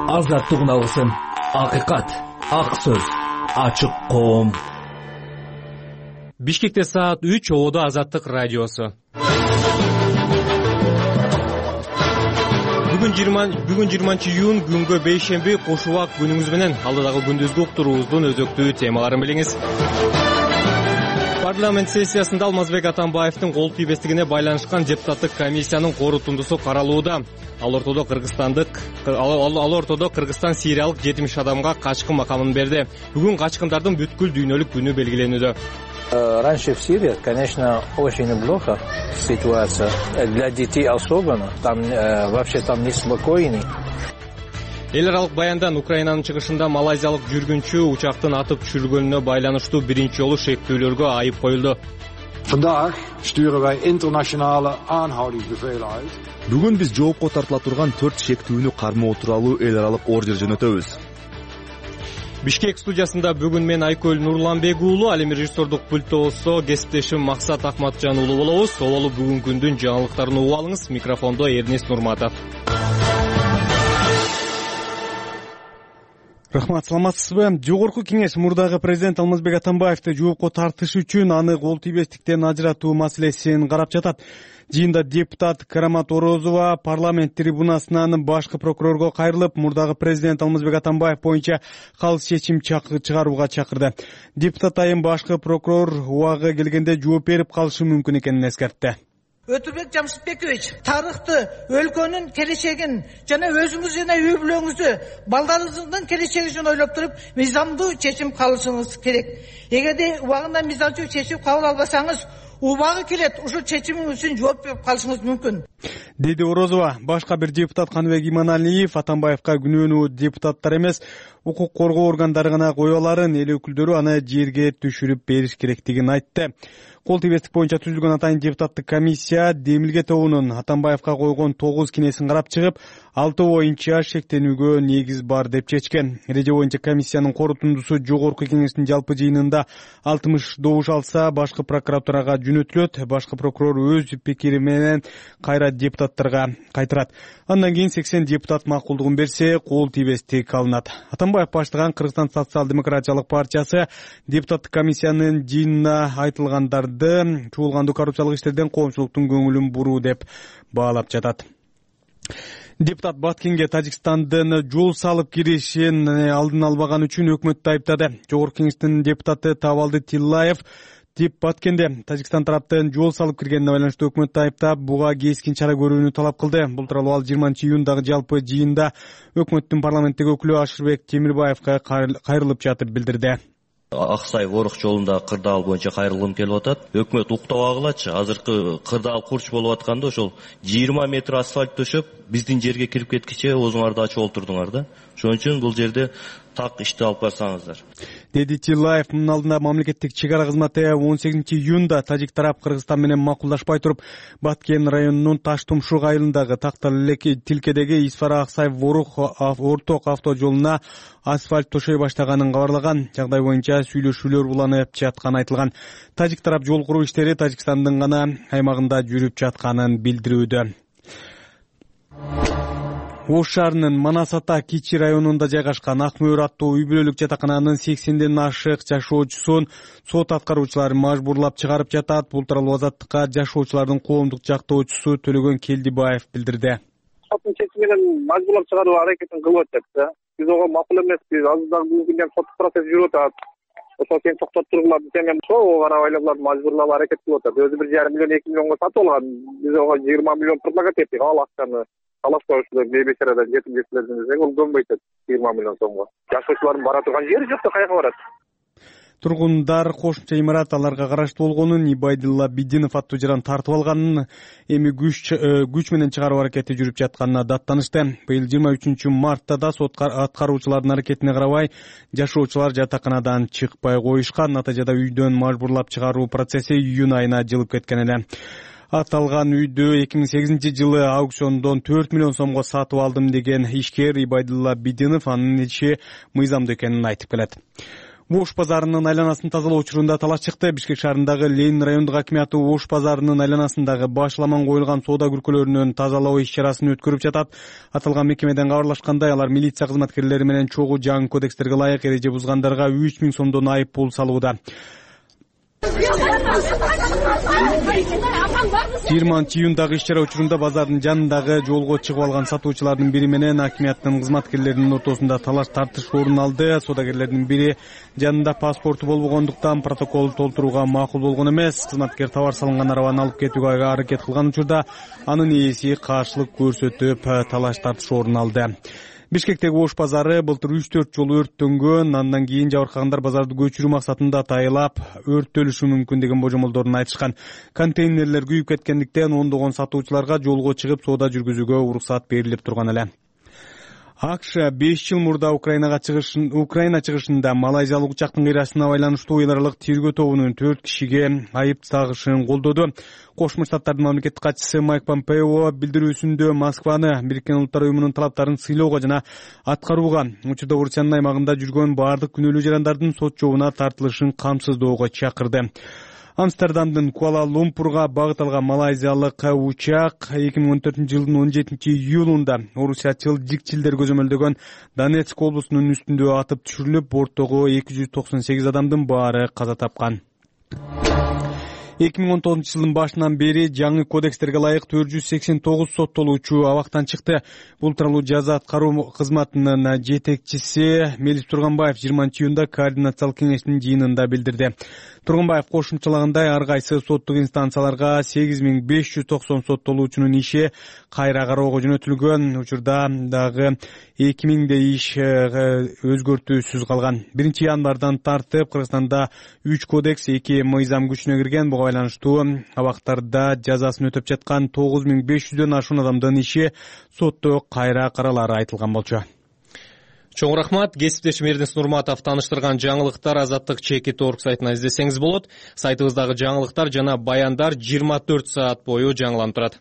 Азаттык алгысым, акыйкат, ак сөз, ачык коом. Бишкекте саат 3, Ободо Азаттык радиосу. Бүгүн 20 күнгө бейшемби кош убак күнүңүз менен алдыдагы күндүзгү уктуруубуздун өзөктүү темаларын билиңиз. Парламент сессиясында Алмазбек Атамбаевдин кол тийбестигине байланышкан депутаттык комиссиянын корутундусу каралууда. Ал ортодо Кыргызстан сириялык 70 адамга качкын макамын берди. Бүгүн качкындардын бүткүл дүйнөлүк күнү белгиленүүдө. Раньше в Сирии, конечно, очень плохо ситуация. Для детей особенно. Там вообще там неспокойный. Эл аралык баяндан Украинанын чыгышында малайзиялык жүргүнчү учактын атып түшүрүлгөнүнө байланыштуу биринчи жолу шектүүлөргө айып коюлду. Vandaag sturen wij internationale aanhoudingsbevelen uit. Бүгүн биз жоопко тартыла турган 4 шектүүнү кармоо тууралуу эл аралык ордер жөнөтөбүз. Бишкек студиясында бүгүн мен Айкөл Нурланбек уулу, ал эми режиссердук пульттосо кесиптешим Максат Акматжан уулу болобуз. Оболу бүгүнкү күндүн жаңылыктарын угуп алыңыз. Микрофондо Эрнест Нурматов. Рахмат, саламатсызбы? Жогорку кеңеш мурдагы президент Алмазбек Атамбаевди жоопко тартыш үчүн аны кол тийбестиктен ажыратуу маселесин карап жатат. Жыйында депутат Карамат Орозова парламент трибунасынан башкы прокурорго кайрылып, мурдагы президент Алмазбек Атамбаев боюнча калыс чечим чыгарууга чакырды. Депутат айым башкы прокурор убагы келгенде жооп берип калышы мүмкүн экенин эскертти. Өтүрбек Жамшытбекович, тарыхты, өлкөнүн келечегин жана өзүңүз жана үй бүлөңүздү, балдарыңыздын келечеги үчүн ойлоп туруп, мыйзамдуу чечим кабылышыңыз керек. Эгерде убагында мыйзамдуу чечим кабыл албасаңыз, убагы келет, ушул чечимиң үчүн жооп берип калышыңыз мүмкүн. Деди Орозова. Башка бир депутат Каныбек Иманалиев Атамбаевка күнөөнү депутаттар эмес, укук коргоо органдары гана кое аларын, эл өкүлдөрү аны жерге түшүрүп бериш керектигин айтты. Кол тийбестик боюнча түзүлгөн атайын депутаттык комиссия Демилге тобунун Атамбаевка койгон 9 кинесин карап чыгып, 6 боюнча шектенүүгө негиз бар деп чечкен. Эреже боюнча комиссиянын корутундусу жогорку кеңештин жалпы жыйынында 60 добуш алса, башкы прокуратурага жөнөтүлөт. Башкы прокурор өз пикири менен кайра депутаттарга кайтарат. Андан кийин 80 депутат макулдугун берсе, кол тийбестик алынат. Атамбаев баштаган Кыргызстан социал-демократиялык партиясы депутаттык комиссиянын жыйынына айтылгандарды чуулгандуу коррупциялык иштерден коомчулуктун көңүлүн буруу деп баалап жатат. Депутат Баткенге Тажикстандын жол салып киришин алдын албаган үчүн өкмөттү айыптады. Жогорку кеңештин депутаты Табалды Тиллаев Баткенде Тажикстан тараптын жол салып киргенине байланыштуу өкмөттү айыптап, буга кескин чара көрүүнү талап кылды. Бул тууралуу ал 20-июндагы жалпы жыйында өкмөттүн парламенттеги өкүлү Ашырбек Темирбаевга кайрылып жатып билдирди. Аксай Орох жолунда кырдаал боюнча кайрылгым келип атат. Өкмөт уктабагылачы. Азыркы кырдаал курч болуп атканда ошол 20 метр асфальт төшөп, биздин жерге кирип кеткиче өзүңөрдү ачып олтурдуңар да. Ошон үчүн бул жерде так ишти алып барсаңыздар. Деди Тиллаев. Мунун алдында мамлекеттик чек-ара кызматы 18-июнда тажик тарап Кыргызстан менен макулдашпай туруп, Баткен районунун Таш-Тумшук айылындагы Тилкедеги Исфара-Аксай орток автожолуна асфальт төшөй баштаганын кабарлаган. Жагдай боюнча сүйлөшүүлөр уланып жатканы айтылган. Тажик тарап жол куруу иштери Тажикстандын гана аймагында жүрүп жатканын билдирүүдө. Ош шаарынын Манас-Ата Кичи районунда жайгашкан Ак Мөөр аттуу үй бүлөлүк жатакананын 80ден ашык жашоочусун сот аткаруучулары мажбурлап чыгарып жатат. Бул тууралуу Азаттыкка жашоочулардын коомдук жактоочусу Төлөгөн Келдибаев билдирди. Соттун чечими менен мажбурлап чыгаруу аракетин кылып атат. Биз ого макул эмеспиз. Азырдан бүгүнкү күндө сот процесси жүрүп атат. Ошол сен токтотуп тургула десем, ошол карабай булар мажбурлап аракет кылып атат. Өзү 1,5 миллион 2 миллионго сатып алган. Биз ого 20 миллион предлагать эттик. Ал акчаны аласпаушулар бейбечарадан жетип кетсилердин десек, ол көнбөйт 20 миллион сомго. Жашоочулардын бара турган жери жок да каяка барат. Тургундар кошумча имарат аларга караштуу болгонун, Ибайдылла Бидинов аттуу жаран тартып алганын, эми күч менен чыгаруу аракети жүрүп жатканына даттанышты. Быйыл 23 мартта да сот аткаруучулардын аракетине карабай жашоочулар жатаканадан чыкпай коюшкан. Натыйжада үйдөн мажбурлап чыгаруу процесси июнь айына жылып кеткен эле. Аталган үйдү 2008-жылы аукциондон 4 миллион сомго сатып алдым деген ишкер Ибайдылла Бидинов анын иши мыйзамдуу экенин айтып келет. Ош базарынын айланасын тазалоо учурунда талаш чыкты. Бишкек шаарындагы Ленин райондук акиматы Ош базарынын айланасындагы башламан коюлган соода күркөлөрүнөн тазалоо иш-чарасын өткөрүп жатат. Аталган мекемеден кабарлашкандай, алар милиция кызматкерлери менен чогуу жаңы кодекстерге ылайык эреже бузгандарга 3000 сомдон айып пул салууда. 20-июндагы иш-чара учурунда базардын жанындагы жолго чыгып алган сатуучулардын бири менен акиматтын кызматкерлеринин ортосунда талаш тартыш орун алды. Соодагерлердин бири жанында паспорту болбогондуктан протокол толтурууга макул болгон эмес. Кызматкер товар салынган арабаны алып кетүүгө аракет кылган учурда анын ээси каршылык көрсөтүп талаш тартыш орун алды. Бишкектеги Ош базары былтыр 3-4 жолу өрттөнгөн. Андан кийин жабыркагандар базарды көчүрүү максатында атайылап өрттөлүшү мүмкүн деген божомолдорун айтышкан. Контейнерлер күйүп кеткендиктен ондогон сатуучуларга жолго чыгып соода жүргүзүүгө уруксат берилип турган эле. АКШ 5 жыл мурда Украина чыгышында малайзиялык учактын кыйрасына байланыштуу эл аралык тергөө тобунун 4 кишиге айып тагышын колдоду. Кошмо Штаттардын мамлекеттик катчысы Майк Помпео билдирүүсүндө Москваны Бириккен Улуттар Уюмунун талаптарын сыйлоого жана аткарууга, учурда Орусиянын аймагында жүргөн баардык күнөөлүү жарандардын сот жообуна тартылышын камсыздоого чакырды. Амстердамдын Куала-Лумпурга багыт алган малайзиялык учак 2014 жылдын 17 июлунда орусиячыл жикчилдер көзөмөлдөгөн Донецк облусунун үстүндө атып түшүрүлүп, борттогу 298 адамдын баары каза тапкан. 2019 жылдын башынан бери жаңы кодекстерге ылайык 489 соттолуучу абактан чыкты. Бул тууралуу жаза аткаруу кызматынын жетекчиси Мелис Турганбаев 20-июнда координациялык кеңештин жыйынында билдирди. Турганбаев кошумчалагандай, ар кайсы соттук инстанцияларга 8590 соттолуучунун иши кайра кароого жөнөтүлгөн. Учурда дагы 2000 иш өзгөртүүсүз калган. 1-январдан тартып Кыргызстанда 3 кодекс, 2 мыйзам күчүнө кирген. Буга байланыштуу абактарда жазасын өтөп жаткан 9500дөн ашуун адамдын иши сотто кайра каралары айтылган болчу. Чоң рахмат. Кесиптешим Эрденис Нурматов таныштырган жаңылыктар Азаттык.org сайтынан издесеңиз болот. Сайтыбыздагы жаңылыктар жана баяндар 24 саат бою жаңыланып турат.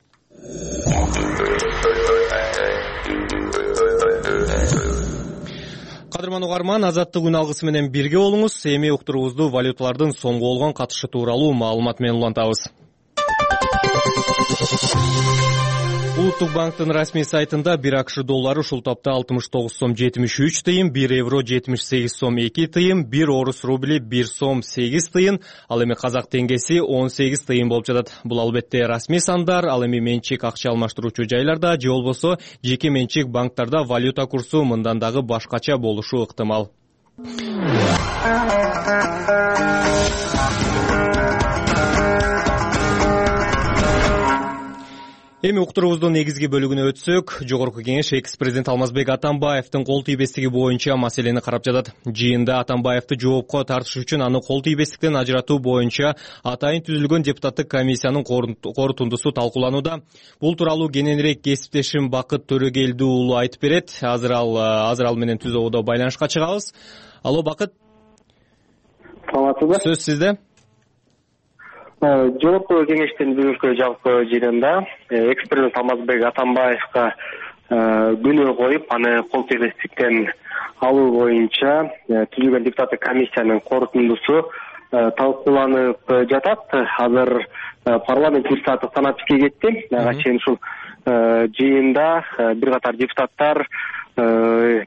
Кадырман угарман, Азаттык күн алгысы менен бирге болуңуз. Эми уктуруубузду валюталардын сомго болгон катышы тууралуу маалымат менен улантабыз. Улуттук банктын расмий сайтында 1 АКШ доллары ушул тапта 69 сом 73 тыйын, 1 евро 78 сом 2 тыйын, 1 орус рубли 1 сом 8 тыйын, ал эми казак теңгеси 18 тыйын болуп жатат. Бул албетте расмий сандар, ал эми менчик акча алмаштыруучу жайларда же болбосо жеке менчик банктарда валюта курсу мындан дагы башкача болушу ыктымал. Эми уктуруубуздун негизги бөлүгүнө өтсөк, Жогорку Кеңеш экс-президент Алмазбек Атамбаевдин кол тийбестиги боюнча маселени карап жатат. Жыйында Атамбаевди жоопко тартыш үчүн аны кол тийбестиктен ажыратуу боюнча атайын түзүлгөн депутаттык комиссиянын корутундусу талкууланууда. Бул тууралуу кененирээк кесиптешим Бакыт Төрөгелди уулу айтып берет. Азыр ал менен түз ободо байланышка чыгабыз. Алло, Бакыт. Саламатсызбы? Сөз сизде. Жогорку Кеңештин бүгүнкү жалпы жыйынында экс-президент Алмазбек Атамбаевга күнөө коюп, аны кол тийбестиктен алуу боюнча түзүлгөн депутаттык комиссиянын корутундусу талкууланып жатат. Азыр парламент 1 сааттык санаписке кетти. Ага чейин ушул жыйында бир катар депутаттар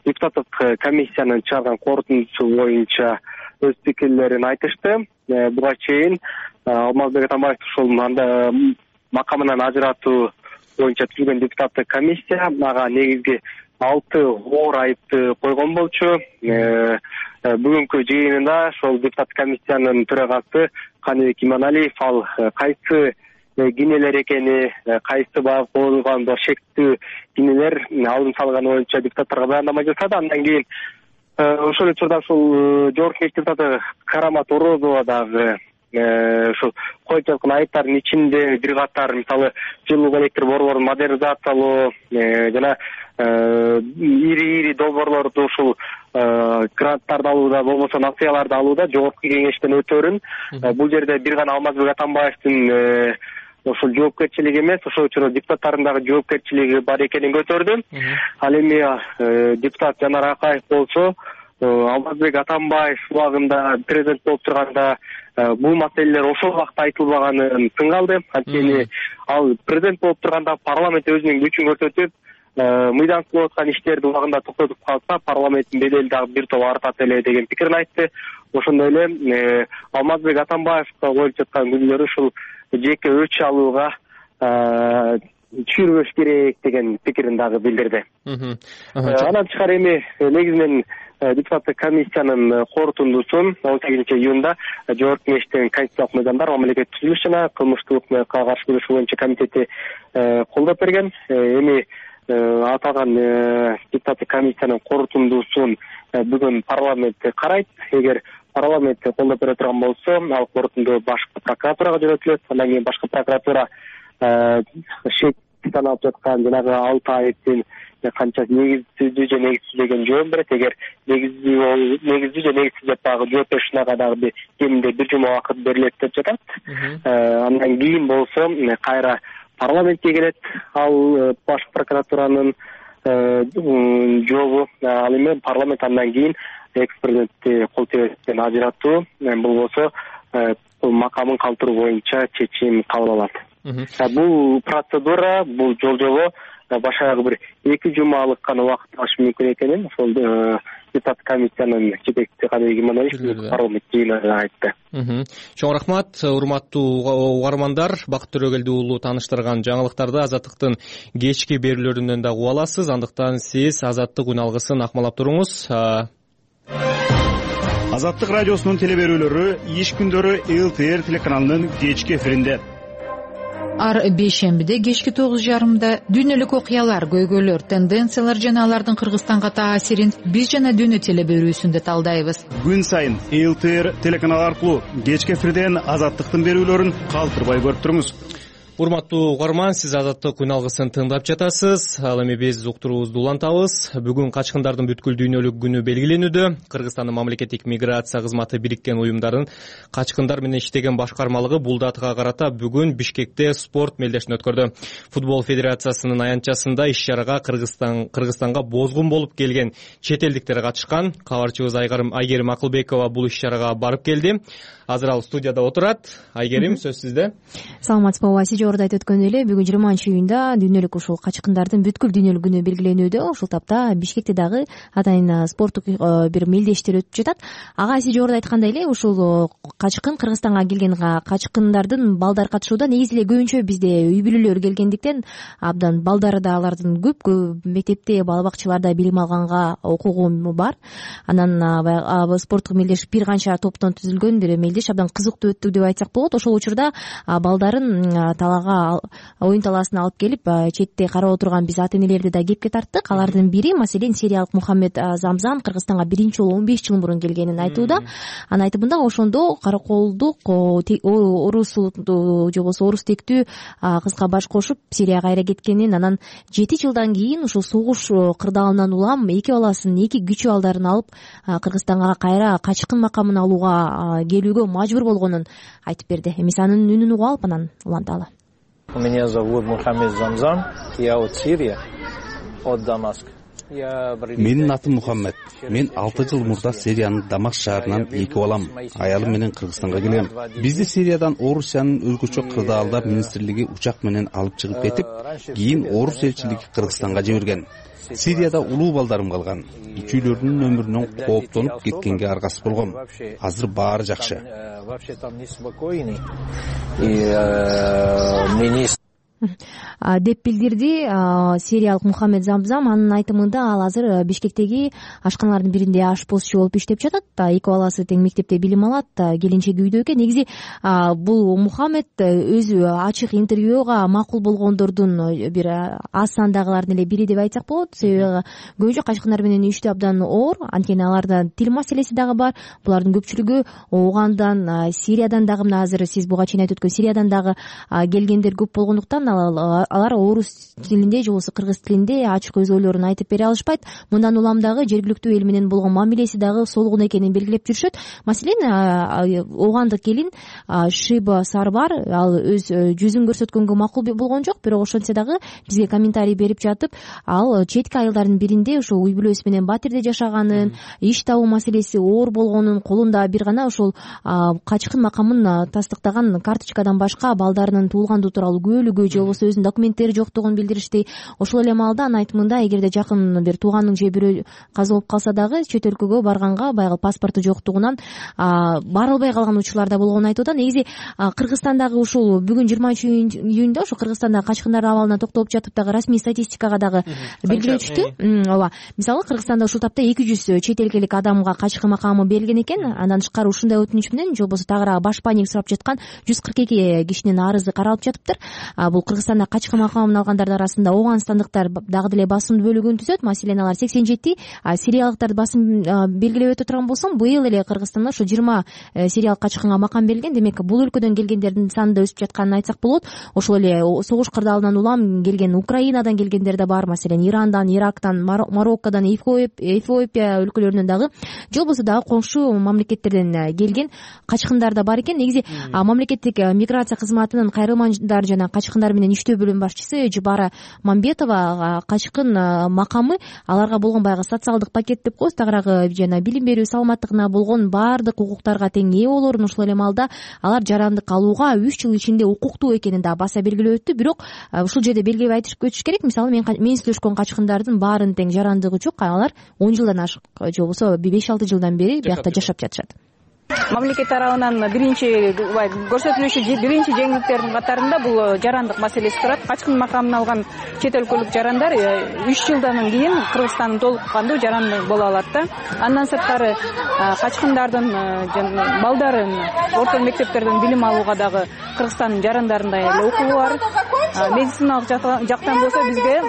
депутаттык комиссиянын чыгарган корутундусу боюнча өз пикирлерин айтышты. Буга чейин Алмазбек Атамбаев ушул макамынан ажыратуу боюнча түзүлгөн депутаттык комиссия ага негизги 6 оор айыпты койгон болчу. Бүгүнкү жыйынында ошол депутаттык комиссиянын төрагасы Каныбек Иманалиев ал кайсы кинелер экени, кайсы багып коюлган шектүү кинелер алдын салган боюнча депутаттарга баяндама жасады. Андан кийин ошол учурда ушул Жогорку Кеңеш депутаты Карамат Орозова дагы ушул коюп жаткан айыптардын ичинде бир катар, мисалы, жылуу электр борборун модернизациялоо жана ири долбоорлорду ушул гранттарды алууда, болбосо нацияларды алууда Жогорку Кеңештен өтөрүн. Бул жерде бир гана Алмазбек Атамбаевдин ошол жоопкерчилиги эмес, ошол учурда депутаттардын дагы жоопкерчилиги бар экенин көтөрдү. Ал эми депутат Жанар Акаев болсо Алмазбек Атамбаев убагында президент болуп турганда бул маселелер ошол убакта айтылбаганын тың калды. Анткени ал президент болуп турганда парламент өзүнүн күчүн көрсөтүп, мыйдан кылып аткан иштерди убагында токтотуп калса, парламенттин бедели дагы бир топ артат эле деген пикирин айтты. Ошондой эле Алмазбек Атамбаевка коюп жаткан күнөөлөр ушул жеке өч алууга түшүрбөш керек деген пикирин дагы билдирди. Анан тышкары эми негизинен депутаттык комиссиянын корутундусун 18-июнда Жогорку Кеңештин Конституциялык мыйзамдар, мамлекеттик түзүлүш жана кылмыштык укмукка каршы күрөшүү боюнча комитети колдоп берген. Эми аталган депутаттык комиссиянын корутундусун бүгүн парламент карайт. Эгер парламент колдоп бере турган болсо, ал корутунду башкы прокуратурага жөнөтүлөт. Андан кийин башкы прокуратура шектен алып жаткан жанагы 6 айыптын канчасы негиздүү же негизсиз деген жооп берет. Эгер негиздүү же негизсиз деп дагы жооп беришине дагы кеминде 1 жума убакыт берилет деп жатат. Андан кийин болсо кайра парламентке келет ал баш прокуратуранын жообу. Ал эми парламент андан кийин экс-президентти кол тебеттен ажыратуу болбосо макамын калтыруу боюнча чечим кабыл алат. Бул процедура, бул жолжобо башка бир 2 жумалык гана убакыт алышы мүмкүн экенин ошол депутаттык комиссиянын жетекчиси Каныбек Иманалиев парламент жыйынында айтты. Чоң рахмат, урматтуу угармандар. Бакыт Төрөгелди уулу тааныштырган жаңылыктарды Азаттыктын кечки берүүлөрүнөн да уга аласыз. Андыктан сиз Азаттык үн алгысын акмалап туруңуз. Азаттык радиосунун телеберүүлөрү иш күндөрү ЛТР телеканалынын кечки эфиринде. Ар бейшембиде кечки 9:30 дүйнөлүк окуялар, көйгөйлөр, тенденциялар жана алардын Кыргызстанга таасирин биз жана дүйнө телеберүүсүндө талдайбыз. Күн сайын ЛТР телеканалы аркылуу кечки эфирден Азаттыктын берүүлөрүн калтырбай көрүп туруңуз. Урматтуу угарман, сиз Азаттык үн алгысын тыңдап жатасыз. Ал эми биз уктуруубузду улантабыз. Бүгүн качкындардын бүткүл дүйнөлүк күнү белгиленүүдө. Кыргызстандын мамлекеттик миграция кызматы бириккен уюмдарын качкындар менен иштеген башкармалыгы бул датага карата бүгүн Бишкекте спорт мелдешин өткөрдү. Футбол федерациясынын аянтчасында иш-чарага Кыргызстанга бозгун болуп келген чет элдиктер катышкан. Кабарчыбыз Айгерим Акылбекова бул иш-чарага барып келди. Азыр ал студияда отурат. Айгерим, сөз сизде. Саламатсызбы, жогоруда айтып өткөндөй эле бүгүн 20-июнда дүйнөлүк ушул качкындардын бүткүл дүйнөлүк күнү белгиленүүдө. Ушул тапта Бишкекте дагы атайын спорттук бир мелдештер өтүп жатат. Ага сиз жогоруда айткандай эле ушул качкын Кыргызстанга келген качкындардын балдар катышууда негизи эле көбүнчө бизде үй бүлөлөр келгендиктен абдан балдары да алардын көп мектепте бала бакчаларда билим алганга укугу бар. Анан спорттук мелдеш бир канча топтон түзүлгөн бир мелдеш абдан кызыктуу өттү деп айтсак болот. Ошол учурда балдарын талаага оюн талаасына алып келип четте карап отурган биз ата энелерди да кепке тарттык. Алардын бири маселен сириялык Мухаммед Замзам Кыргызстанга биринчи жолу 15 жыл мурун келгенин айтууда. Анын айтымында ошондо караколдук орус же болбосо орус тектүү кызга баш кошуп Сирияга кайра кеткенин, анан 7 жылдан кийин ушул согуш кырдаалынан улам 2 баласын, 2 кичүү балдарын алып Кыргызстанга кайра качкын макамын алууга келүүгө мажбур болгонун айтып берди. Эмес анын үнүн угуп алып анан уланталы. Меня зовут Мухаммед Замзам, я от Сирии, от Дамаска. Менин атым Мухаммед. Мен 6 жыл мурда Сириянын Дамаск шаарынан 2 балам, аялым менен Кыргызстанга келгем. Бизди Сириядан Орусиянын өлкөчө кырдаалдар министрлиги учак менен алып чыгып кетип, кийин Орус элчилиги Кыргызстанга жиберген. Сирияда улуу балдарым калган. Ичүүлөрдүн өмүрүнөн кооптонуп кеткенге аргасыз болгом. Азыр баары жакшы. Деп билдирди сириялык Мухаммед Замзам. Анын айтымында ал азыр Бишкектеги ашканалардын биринде ашпозчу болуп иштеп жатат. 2 баласы тең мектепте билим алат, келинчеги үйдө экен. Негизи бул Мухаммед өзү ачык интервьюга макул болгондордун бир аз сандагылардын эле бири деп айтсак болот. Себеби көбүнчө качкындар менен иштөө абдан оор, анткени аларда тил маселеси дагы бар. Булардын көпчүлүгү Огандан, Сириядан дагы, мына азыр сиз буга чейин айтып өткөн Сириядан дагы келгендер көп болгондуктан болгондуктан алар орус тилинде же болбосо кыргыз тилинде ачык өз ойлорун айтып бере алышпайт. Мындан улам дагы жергиликтүү эл менен болгон мамилеси дагы солгун экенин белгилеп жүрүшөт. Маселен, огандык келин Шиба Сарбар ал өз жүзүн көрсөткөнгө макул болгон жок, бирок ошентсе дагы бизге комментарий берип жатып, ал четки айылдардын биринде ошо үй бүлөсү менен батирде жашаганын, иш табуу маселеси оор болгонун, колунда бир гана ошол качкын макамын тастыктаган карточкадан башка балдарынын туулгандыгы тууралуу күбөлүгү же болбосо өзүнүн документтери жоктугун билдиришти. Ошол эле маалда анын айтымында эгерде жакын бир тууганың же бирөө каза болуп калса дагы чет өлкөгө барганга баягы паспорту жоктугунан бара албай калган учурлар да болгонун айтып атат. Негизи Кыргызстандагы ушул бүгүн 20-июнда ошо Кыргызстандагы качкындардын абалына токтолуп жатып дагы расмий статистикага дагы белгилеп түштү. Ооба. Мисалы Кыргызстанда ушул тапта 200 чет элдик адамга качкын макамы берилген экен. Андан тышкары ушундай өтүнүч менен же болбосо тагыраак баш паник сурап жаткан 142 кишинин арызы каралып жатыптыр. Бул Кыргызстанда качкын макамын алгандардын арасында оогандстандыктар дагы деле басым бөлүгүн түзөт. Маселен, алар 87, сириялыктарды басым белгилеп өтө турган болсом, быйыл эле Кыргызстанда ошо 20 сириялык качкынга макам берилген. Демек, бул өлкөдөн келгендердин саны да өсүп жатканын айтсак болот. Ошол эле согуш кырдаалынан улам келген, Украинадан келгендер да бар. Маселен, Ирандан, Ирактан, Мароккодон, Эфиопия өлкөлөрүнөн дагы же болбосо дагы коңшу мамлекеттерден келген качкындар да бар экен. Негизи мамлекеттик миграция кызматынын кайрылмаандар жана качкындар менен иштөө бөлүм башчысы Жубара Мамбетова качкын макамы аларга болгон баягы социалдык пакет деп коебуз, тагыраагы жана билим берүү, саламаттыгына болгон баардык укуктарга тең ээ болорун, ошол эле маалда алар жарандык алууга 3 жыл ичинде укуктуу экенин да баса белгилеп өттү. Бирок ушул жерде белгилеп айтып өтүш керек. Мисалы, мен сүйлөшкөн качкындардын баарынын тең жарандыгы жок. Алар 10 жылдан ашык же болбосо 5-6 жылдан бери биякта жашап жатышат. Мамлекет тарабынан биринчи көрсөтүлүшү биринчи жеңилдиктердин катарында бул жарандык маселеси турат. Качкын макамын алган чет өлкөлүк жарандар 3 жылдан кийин Кыргызстандын толук кандуу жаранды боло алат да. Андан сырткары качкындардын балдарын орто мектептерден билим алууга дагы Кыргызстандын жарандарында эле укугу бар. Медициналык жактан болсо бизге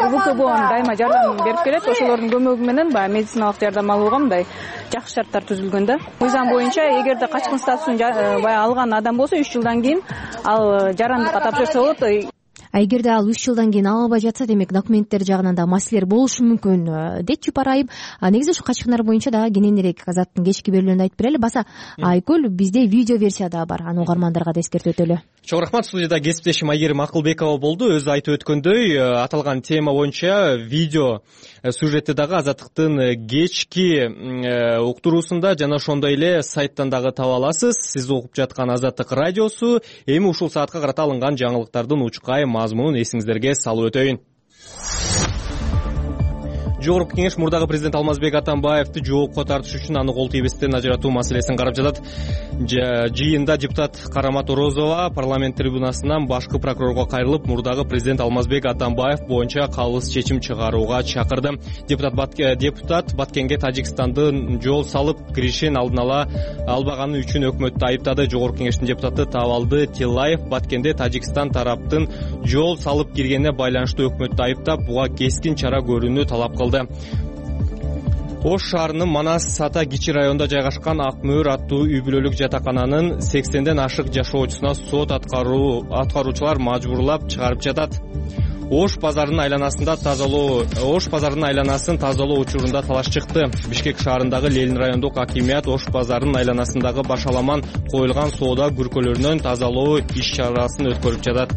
УКБ дайыма жардам берип келет. Ошолордун көмөгү менен баягы медициналык жардам алууга мындай жакшы шарттар түзүлгөн да. Мыйзам боюнча эгерде качкын статусун баягы алган адам болсо 3 жылдан кийин ал жарандыкка тапшырса болот. Эгерде ал 3 жылдан кийин ала албай жатса, демек документтер жагынан да маселелер болушу мүмкүн дейт Жупар Айым. Негизи ушу качкындар боюнча дагы кененирээк азаттын кечки берүүлөрүндө айтып берели. Баса Айкөл, бизде видео версия да бар. Аны угармандарга да эскертип өтөлү. Чоң рахмат. Студияда кесиптешим Айгерим Акылбекова болду. Өзү айтып өткөндөй, аталган тема боюнча видео сюжетти дагы Азаттыктын кечки уктуруусунда жана ошондой эле сайттан дагы таба аласыз. Сиз угуп жаткан Азаттык радиосу. Эми ушул саатка карата алынган жаңылыктардын учкай мазмунун эсиңиздерге салып өтөйүн. Жогорку кеңеш мурдагы президент Алмазбек Атамбаевди жоопко тартыш үчүн аны кол тийбестен ажыратуу маселесин карап жатат. Жыйында депутат Карамат Орозова парламент трибунасынан башкы прокурорго кайрылып, мурдагы президент Алмазбек Атамбаев боюнча калыс чечим чыгарууга чакырды. Депутат Баткенге Тажикстандын жол салып киришин алдын ала албаганы үчүн өкмөттү айыптады. Жогорку кеңештин депутаты Табалды Тилаев Баткенде Тажикстан тараптын жол салып киргенине байланыштуу өкмөттү айыптап, буга кескин чара көрүүнү талап кылды. Ош шаарынын Манас Ата Кичи районунда жайгашкан Ак Мөөр аттуу үй бүлөлүк жатакананын 80ден ашык жашоочусуна сот аткаруучулар мажбурлап чыгарып жатат. Ош базарынын айланасын тазалоо учурунда талаш чыкты. Бишкек шаарындагы Ленин райондук акимият Ош базарынын айланасындагы башаламан коюлган соода күркөлөрүнөн тазалоо иш-чарасын өткөрүп жатат.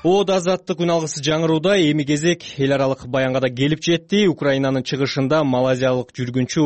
Азаттык күн алгысы жаңырууда эми кезек эл аралык баянга да келип жетти. Украинанын чыгышында малайзиялык жүргүнчү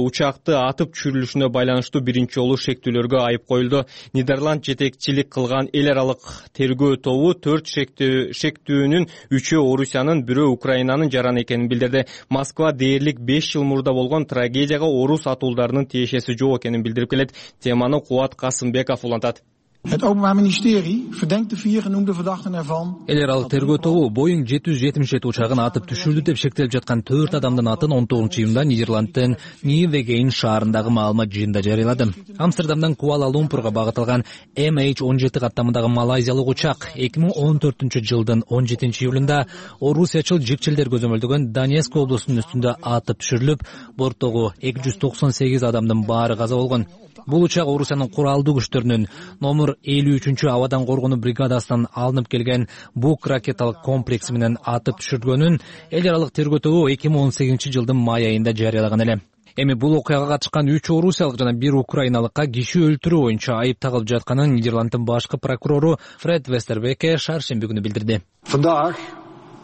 учакты атып түшүрүлүшүнө байланыштуу биринчи жолу шектүүлөргө айып коюлду. Нидерланд жетекчилик кылган эл аралык тергөө тобу 4 шектүүнүн 3-өө Орусиянын, 1-өө Украинанын жараны экенин билдирди. Москва дээрлик 5 жыл мурда болгон трагедияга орус атуулдарынын тиешеси жок экенин билдирип келет. Теманы Кубат Касымбеков улантат. Het Openbaar Ministerie verdenkt de 4 genoemde verdachten ervan. Эл аралык тергөө тобу Boeing 777 учагын атып түшүрдү деп шектелип жаткан 4 адамдын атын 19-июнда Нидерландтын Ньювеген шаарындагы маалымат жыйынында жарыялады. Амстердамдан Куала-Лумпурга багытталган MH17 каттамындагы малайзиялык учак 2014-жылдын 17-июлунда орусиячыл жикчилдер көзөмөлдөгөн Донецк облусунун үстүндө атып түшүрүлүп, борттогу 298 адамдын баары каза болгон. Бул учак Орусиянын куралдуу күчтөрүнүн номер 53 абадан коргонуу бригадасынан алынып келген Бук ракеталык комплекси менен атып түшүргөнүн эл аралык тергөө тобу 2018 жылдын май айында жарыялаган эле. Эми бул окуяга катышкан 3 орусиялык жана 1 украиналыкка киши өлтүрүү боюнча айып тагылып жатканын Нидерланддын башкы прокурору Фред Вестербеке шаршемби күнү билдирди. Vandaag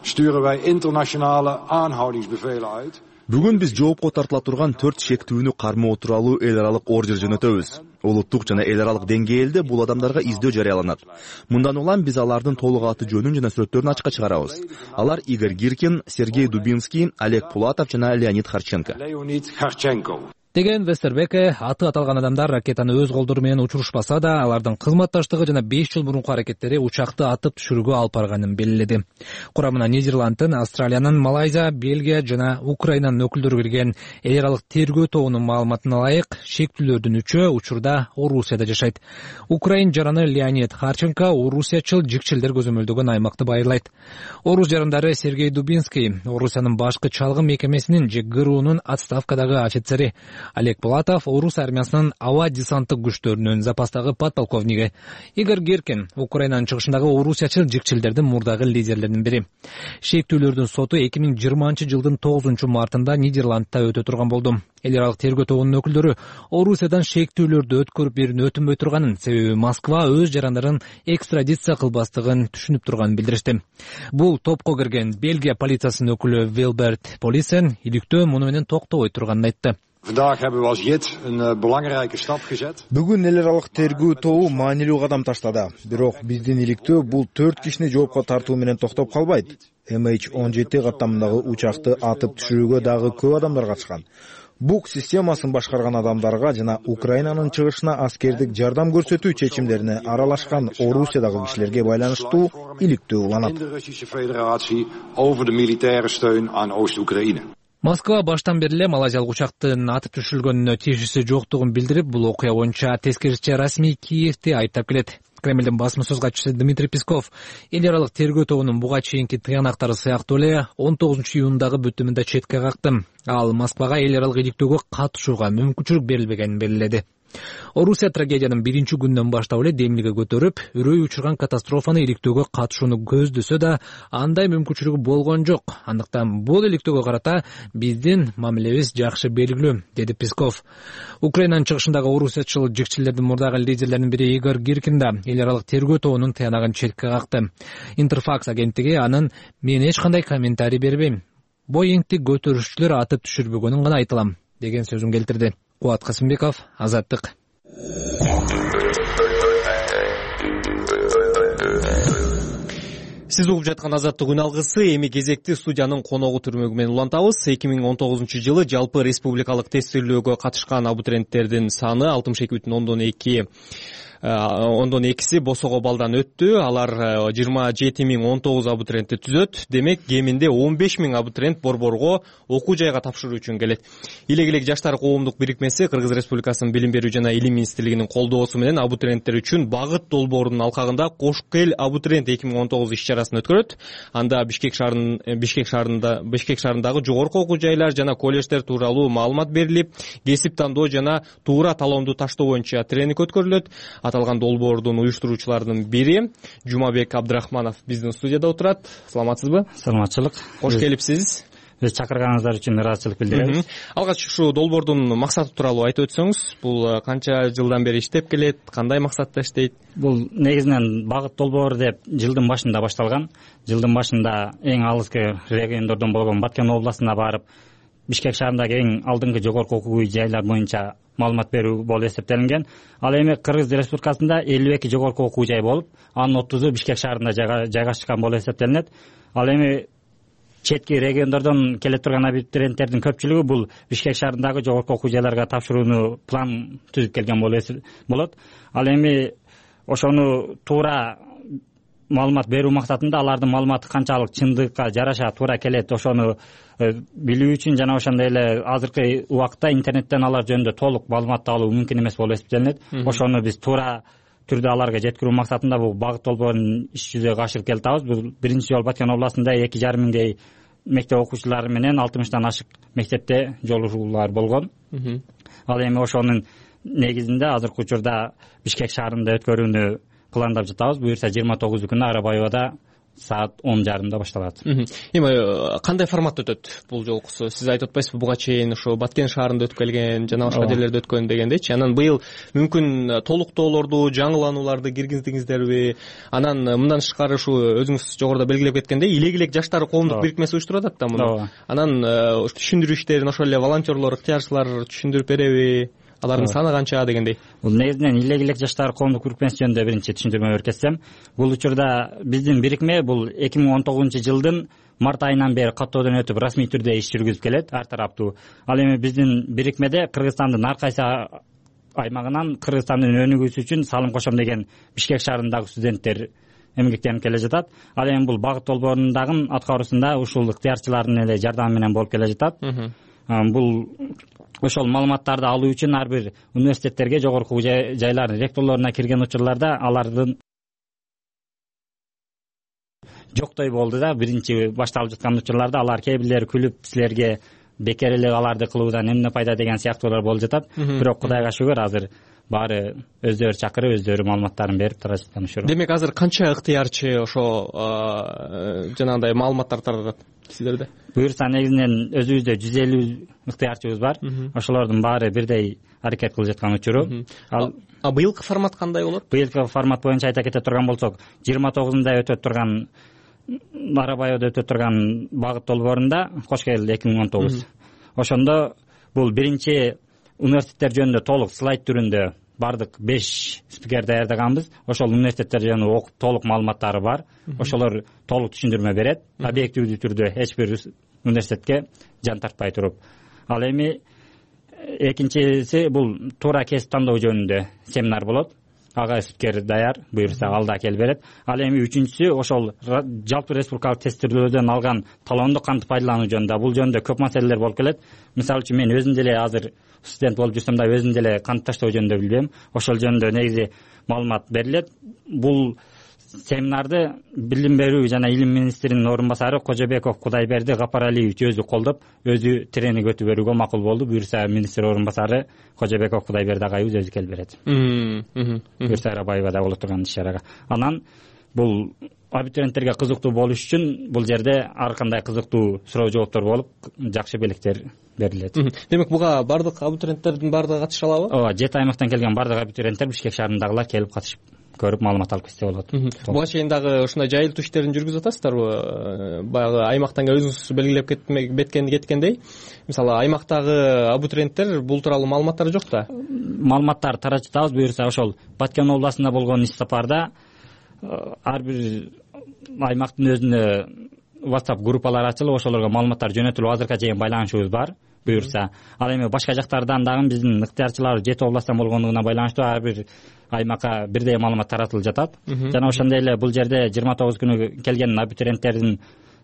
sturen wij internationale aanhoudingsbevelen uit. Бүгүн биз жоопко тартыла турган 4 шектүүнү кармоо тууралуу эл аралык ордер жөнөтөбүз. Улуттук жана эл аралык деңгээлде бул адамдарга издөө жарыяланат. Мындан улам биз алардын толук аты жөнүн жана сүрөттөрүн ачыкка чыгарабыз. Алар Игорь Гиркин, Сергей Дубинский, Олег Пулатов жана Леонид Харченко. Деген Вестербеке аты аталган адамдар ракетаны өз колдору менен учурушпаса да, алардын кызматташтыгы жана 5 жыл мурунку аракеттери учакты атып түшүрүүгө алып барганын белгиледи. Курамына Нидерланддын, Австралиянын, Малайзия, Бельгия жана Украинанын өкүлдөрү кирген эл аралык тергөө тобунун маалыматына ылайык, шектүүлөрдүн 3-өө учурда Орусияда жашайт. Украин жараны Леонид Харченко орусиячыл жикчилдер көзөмөлдөгөн аймакты байырлайт. Орус жарандары Сергей Дубинский, Орусиянын башкы чалгын мекемесинин же ГРУнун отставкадагы офицери, Олег Пулатов орус армиясынын аба десанттык күчтөрүнүн запастагы подполковниги, Игорь Гиркин Украинанын чыгышындагы орусиячыл жикчилдердин мурдагы лидерлеринин бири. Шектүүлөрдүн соту 2020 жылдын 9 мартында Нидерландта өтө турган болду. Эл аралык тергөө тобунун өкүлдөрү Орусиядан шектүүлөрдү өткөрүп берүүнү өтүнбөй турганын, себеби Москва өз жарандарын экстрадиция кылбастыгын түшүнүп турганын билдиришти. Бул топко кирген Бельгия полициясынын өкүлү Вилберт Полисен иликтөө муну менен токтобой турганын айтты. Vandaag hebben we als JIT een belangrijke stap gezet. Бүгүн эл аралык тергөө тобу маанилүү кадам таштады. Бирок биздин иликтөө бул 4 кишини жоопко тартуу менен токтоп калбайт. MH17 каттамындагы учакты атып түшүрүүгө дагы көп адамдар катышкан. Бук системасын башкарган адамдарга жана Украинанын чыгышына аскердик жардам көрсөтүү чечимдерине аралашкан Орусиядагы кишилерге байланыштуу иликтөө уланат. In de Russische Federatie over de militaire steun aan Oost-Oekraïne. Москва баштан бери эле малайзиялык учактын атып түшүрүлгөнүнө тийиштүүсү жоктугун билдирип, бул окуя боюнча тескерисинче расмий Киевди айыптап келет. Кремлдин басма сөз катчысы Дмитрий Песков эл аралык тергөө тобунун буга чейинки тыянактары сыяктуу эле 19 июндагы бүтүмүндө четке какты. Ал Москвага эл аралык иликтөөгө катышууга мүмкүнчүлүк берилбегенин белгиледи. Орусия трагедиянын 1 күндөн баштап эле демилге көтөрүп, үрөй учурган катастрофаны иликтөөгө катышууну көздөсө да, андай мүмкүнчүлүгү болгон жок. Андыктан бул иликтөөгө карата биздин мамилебиз жакшы белгилүү, деди Песков. Украинанын чыгышындагы орусиячыл жикчилердин мурдагы лидерлеринин бири Игорь Гиркин да эл аралык тергөө тобунун тыянагын четке какты. Интерфакс агенттиги анын "Мен эч кандай комментарий бербейм. Боингти көтөрүшчүлөр атып түшүрбөгөнүн гана айтылам" деген сөзүн келтирди. Кубат Касымбеков, Азаттык. Сиз угуп жаткан Азаттык үн алгысы. Эми кезекти студиянын коногу түрмөгү менен улантабыз. 2019 жылы жалпы республикалык тестилөөгө катышкан абитуриенттердин саны 62,2 босого балдан өттү. Алар 27,019 абитуриентти түзөт. Демек, кеминде 15,000 абитуриент борборго окуу жайга тапшыруу үчүн келет. Илек жаштар коомдук бирикмеси Кыргыз Республикасынын Билим берүү жана Илим министрлигинин колдоосу менен абитуриенттер үчүн багыт долбоорунун алкагында Кош Кел абитуриент 2019 иш-чарасын өткөрөт. Анда Бишкек шаарындагы жогорку окуу жайлар жана колледждер тууралуу маалымат берилип, кесип тандоо жана туура талоомду таштоо боюнча тренинг өткөрүлөт. Аталган долбоордун уюштуруучуларынын бири Жумабек Абдрахманов биздин студияда отурат. Саламатсызбы? Саламатчылык. Кош келипсиз. Биз чакырганыңыздар үчүн ыраазычылык билдиребиз. Алгач ушу долбоордун максаты тууралуу айтып өтсөңүз, бул канча жылдан бери иштеп келет, кандай максатта иштейт? Бул негизинен багыт долбоору деп жылдын башында башталган. Жылдын башында эң алыскы региондордон болгон Баткен областына барып, Бишкек шаарындагы эң алдыңкы жогорку окуу жайлар боюнча маалымат берүү болуп эсептелинген. Ал эми Кыргыз Республикасында 52 жогорку окуу жай болуп, анын 30-у Бишкек шаарында жайгашкан болуп эсептелинет. Ал эми четки региондордон келе турган абитуриенттердин көпчүлүгү бул Бишкек шаарындагы жогорку окуу жайларга тапшырууну план түзүп келген болот. Ал эми ошону туура маалымат берүү максатында алардын маалыматы канчалык чындыкка жараша туура келет, ошону билүү үчүн жана ошондой эле азыркы убакытта интернеттен алар жөнүндө толук маалымат алуу мүмкүн эмес болуп эсептелинет. Ошону биз туура түрдө аларга жеткирүү максатында бул багыт долбоорун иш жүзүгө ашырып келатабыз. Бул биринчи жолу Баткен областында 2,5 миңдей мектеп окуучулары менен 60 ашык мектепте жолугуулар болгон. Ал эми ошонун негизинде азыркы учурда Бишкек шаарында өткөрүүнү пландап жатабыз. Буюрса 29 күнү Арабаевада саат 10:30 башталат. Эми кандай форматта өтөт бул жолкусу? Сиз айтып атпайсызбы, буга чейин ошо Баткен шаарында өткөрүлгөн жана башка жерлерде өткөн дегендейчи. Анан быйыл мүмкүн толуктоолорду, жаңыланууларды киргиздиңиздерби? Анан мындан тышкары ушу өзүңүз жогоруда белгилеп кеткендей, Илегилек жаштар коомдук бирикмеси уюштуруп атат да муну. Анан түшүндүрүү иштерин ошол эле волонтерлор, ыктыярчылар түшүндүрүп береби? Алардын саны канча дегендей. Бул негизинен Илегилек жаштар коомдук бирикмеси жөнүндө биринчи түшүндүрмө беркетсем, бул учурда биздин бирикме бул 2019 жылдын март айынан бери каттоодон өтүп расмий түрдө иш жүргүзүп келет, ар тараптуу. Ал эми биздин бирикмеде Кыргызстандын ар кайсы аймагынан Кыргызстандын өнүгүүсү үчүн салым кошом деген Бишкек шаарындагы студенттер эмгектенип келе жатат. Ал эми бул багыт долбоорунун аткаруусунда ушул ыктыярчылардын эле жардамы менен болуп келе жатат. Бул ошол маалыматтарды алуу үчүн ар бир университеттерге, жогорку жайлардын ректорлоруна кирген учурларда алардын жоктой болду да. Биринчи башталып жаткан учурларда алар кээ бирлери күлүп, силерге бекер эле аларды кылуудан эмне пайда деген сыяктуулар болуп жатат. Бирок Кудайга шүгүр, азыр баары өздөрү чакырып, өздөрү маалыматтарын берип тара жатышат. Демек азыр канча ыктыярчы ошо жанагындай маалыматтар таратат сиздерде? Буюрса негизинен өзүбүздө 150 ыктыярчыбыз бар. Ошолордун баары бирдей аракет кылып жаткан учуру. А быйылкы формат кандай болот? Быйылкы формат боюнча айта кете турган болсок, 29-нда өтөт турган Арабаевда өтөт турган багыт долбоорунда кош келди 2019. Ошондо бул биринчи университеттер жөнүндө толук слайд түрүндө бардык 5 спикер даярдаганбыз. Ошол университеттер жөнүндө окуп толук маалыматтары бар. Ошолор толук түшүндүрмө берет, объективдүү түрдө эч бир университетке жан тартпай туруп. Ал эми экинчиси бул туура кесип тандоо жөнүндө семинар болот. Ага спикер даяр, буюрса ал да келип берет. Ал эми үчүнчүсү ошол жалпы республикалык тестирлөөдөн алган талоонду кантип пайдалануу жөнүндө. Бул жөнүндө көп маселелер болуп келет. Мисалы үчүн мен өзүм деле азыр студент болуп жүрсөм да өзүм деле кант таштоо жөнүндө билбейм. Ошол жөнүндө негизи маалымат берилет. Бул семинарды билим берүү жана илим министринин орун басары Кожобеков Кудайберди Гапаралиевич өзү колдоп, өзү тренинг өтүп берүүгө макул болду. Буюрса министр орун басары Кожобеков Кудайберди агайыбыз өзү келип берет. Буюрса Арабаевада болуп турган иш-чарага. Анан бул абитуриенттерге кызыктуу болуш үчүн бул жерде ар кандай кызыктуу суроо жооптор болуп, жакшы белектер берилет. Демек буга бардык абитуриенттердин баардыгы катыша алабы? Ооба, 7 аймактан келген бардык абитуриенттер Бишкек шаарындагылар келип катышып көрүп маалымат алып кетсе болот. Буга чейин дагы ушундай жайылтуу иштерин жүргүзүп атасыздарбы? Баягы аймактан өзүңүз белгилеп кеткендей, мисалы аймактагы абитуриенттер бул тууралуу маалыматтары жок да. Маалыматтар таратып атабыз. Буюрса ошол Баткен областында болгон иш сапарда ар бир аймактын өзүнө WhatsApp группалар ачылып, ошолорго маалыматтар жөнөтүлүп азыркыга чейин байланышыбыз бар. Буюрса, ал эми башка жактардан дагы биздин ыктыярчылар 7 областтан болгондугуна байланыштуу ар бир аймакка бирдей маалымат таратылып жатат. Жана ошондой эле бул жерде 29 күнү келген абитуриенттердин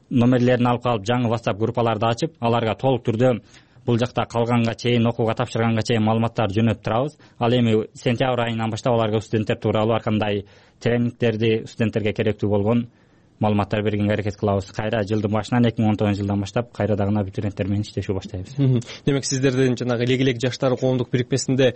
номерлерин алып калып, жаңы WhatsApp группаларды ачып, аларга толук түрдө бул жакта калганга чейин, окууга тапшырганга чейин маалыматтар жөнөтүп турабыз. Ал эми сентябрь айынан баштап аларга студенттер тууралуу ар кандай тренингтерди, студенттерге керектүү болгон маалыматтар бергенге аракет кылабыз. Кайра жылдын башынан 2019 жылдан баштап кайра дагы абитуриенттер менен иштешүү баштайбыз. Демек сиздердин жанагы Илегилек жаштар коомдук бирикмесинде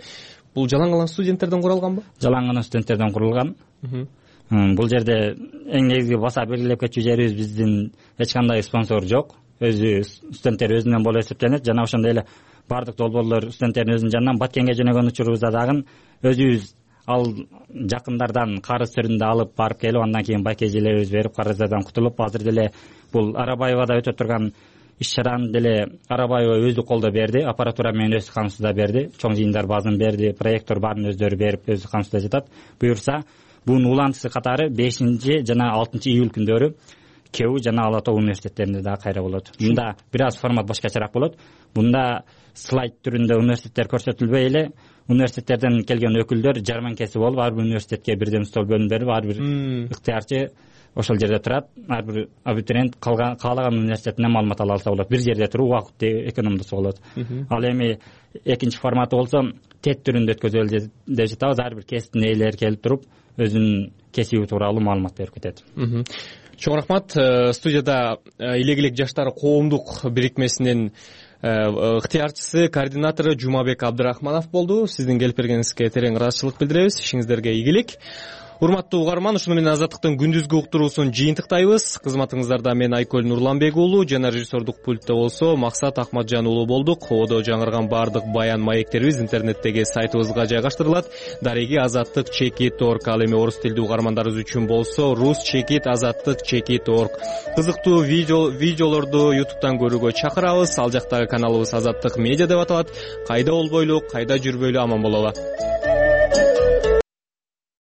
бул жалаң студенттерден куралганбы? Жалаң студенттерден курулган. Бул жерде эң негизги баса белгилеп кетчү жерибиз, биздин эч кандай спонсор жок. Өзү студенттер өзүнөн болуп эсептенет. Жана ошондой эле бардык долбоорлор студенттердин өзүнүн жанынан. Баткенге жөнөгөн учурубузда дагы өзүбүз ал жакындардан карыз түрүндө алып барып келип, андан кийин байкежелерибиз берип, карыздардан кутулуп, азыр деле бул Арабаевада өтөп турган иш-чараны деле Арабаева өзү колдоп берди, аппаратура менен өз камсызда берди, чоң жыйындар базын берди, проектор баарын өздөрү берип, өз камсызда жатат. Буюрса, бунун улантысы катары 5 жана 6 июль күндөрү КЕУ жана Ала Тоо университеттеринде дагы кайра болот. Мында бир аз формат башкачараак болот. Бунда слайд түрүндө университеттер көрсөтүлбөй эле, университеттерден келген өкүлдөр жарманкеси болуп, ар бир университетке бирден стол бөлүнүп берип, ар бир ыктыярчы ошол жерде турат. Ар бир абитуриент каалаган университетинен маалымат ала алса болот. Бир жерде туруп убакытты экономдосо болот. Ал эми экинчи форматы болсо тет түрүндө өткөзөлү деп жатабыз. Ар бир кесиптин ээлери келип туруп, өзүнүн кесиби тууралуу маалымат берип кетет. Чоң рахмат. Студияда Илегилек жаштар коомдук бирикмесинин ыктыярчысы, координатору Жумабек Абдрахманов болду. Сиздин келип бергениңизге терең ыраазычылык билдиребиз. Ишиңиздерге ийгилик. Урматтуу угарман, ушуну менен Азаттыктын күндүзгү уктуруусун жыйынтыктайбыз. Кызматыңыздарда мен Айкөл Нурланбек уулу жана режиссердук пультта болсо Максат Акматжан уулу болдук. Ободо жаңырган баардык баян маектерибиз интернеттеги сайтыбызга жайгаштырылат. Дареги Азаттык @chekit.org. Ал эми орус тилдүү угармандарыбыз үчүн болсо Rus Chekit Азаттык @chekit.org. Кызыктуу видеолорду YouTube'дан көрүүгө чакырабыз. Ал жактагы каналыбыз Азаттык медиа деп аталат. Кайда болбойлу, кайда жүрбөйлү аман бололу.